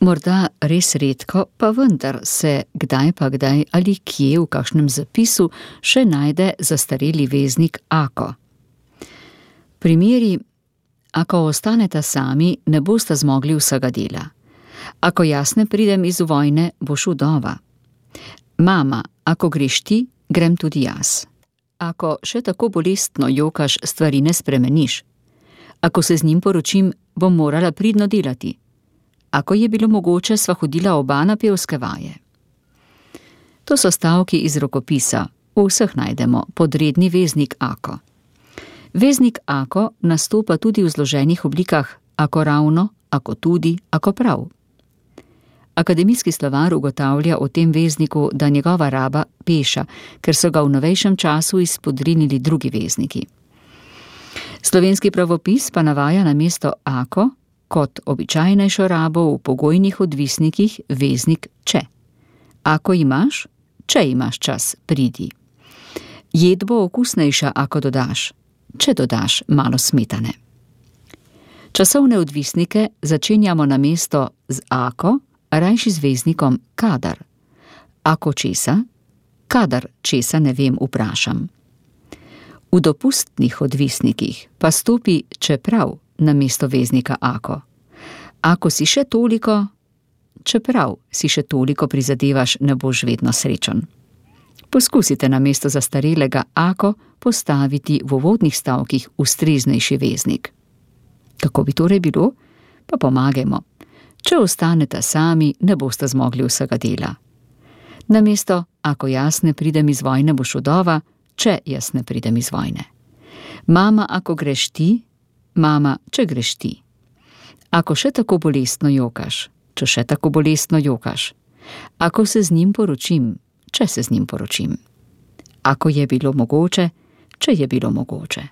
Morda res redko, pa vendar se kdaj pa kdaj ali kje v kakšnem zapisu še najde zastareli veznik ako. Primeri: ako ostaneta sami, ne bosta zmogli vsega dela. Ako jaz ne pridem iz vojne, boš vdova. Mama, ako greš ti, grem tudi jaz. Ako še tako bolestno jokaš, stvari ne spremeniš. Ako se z njim poročim, bom morala pridno delati. Ako je bilo mogoče, sva hodila oba na pevske vaje. To so stavki iz rokopisa, v vseh najdemo podredni veznik ako. Veznik ako nastopa tudi v zloženih oblikah ako ravno, ako tudi, ako prav. Akademijski slovar ugotavlja o tem vezniku, da njegova raba peša, ker so ga v novejšem času izpodrinili drugi vezniki. Slovenski pravopis pa navaja namesto ako kot običajnejšo rabo v pogojnih odvisnikih veznik če. Ako imaš, če imaš čas, pridi. Jed bo okusnejša, ako dodaš, če dodaš malo smetane. Časovne odvisnike začenjamo namesto z ako, rajši z veznikom kadar. Ako česa? Kadar česa ne vem, vprašam. V dopustnih odvisnikih pa stopi čeprav namesto veznika ako. Ako si še toliko, čeprav si še toliko prizadevaš, ne boš vedno srečen. Poskusite namesto zastarelega ako postaviti v uvodnih stavkih ustreznejši veznik. Kako bi torej bilo? Pa pomagajmo. Če ostaneta sami, ne boste zmogli vsega dela. Namesto ako jaz ne pridem iz vojne, boš vdova, če jaz ne pridem iz vojne. Mama, ako greš ti, mama, če greš ti. Ako še tako bolestno jokaš, če še tako bolestno jokaš. Ako se z njim poročim, če se z njim poročim. Ako je bilo mogoče, če je bilo mogoče.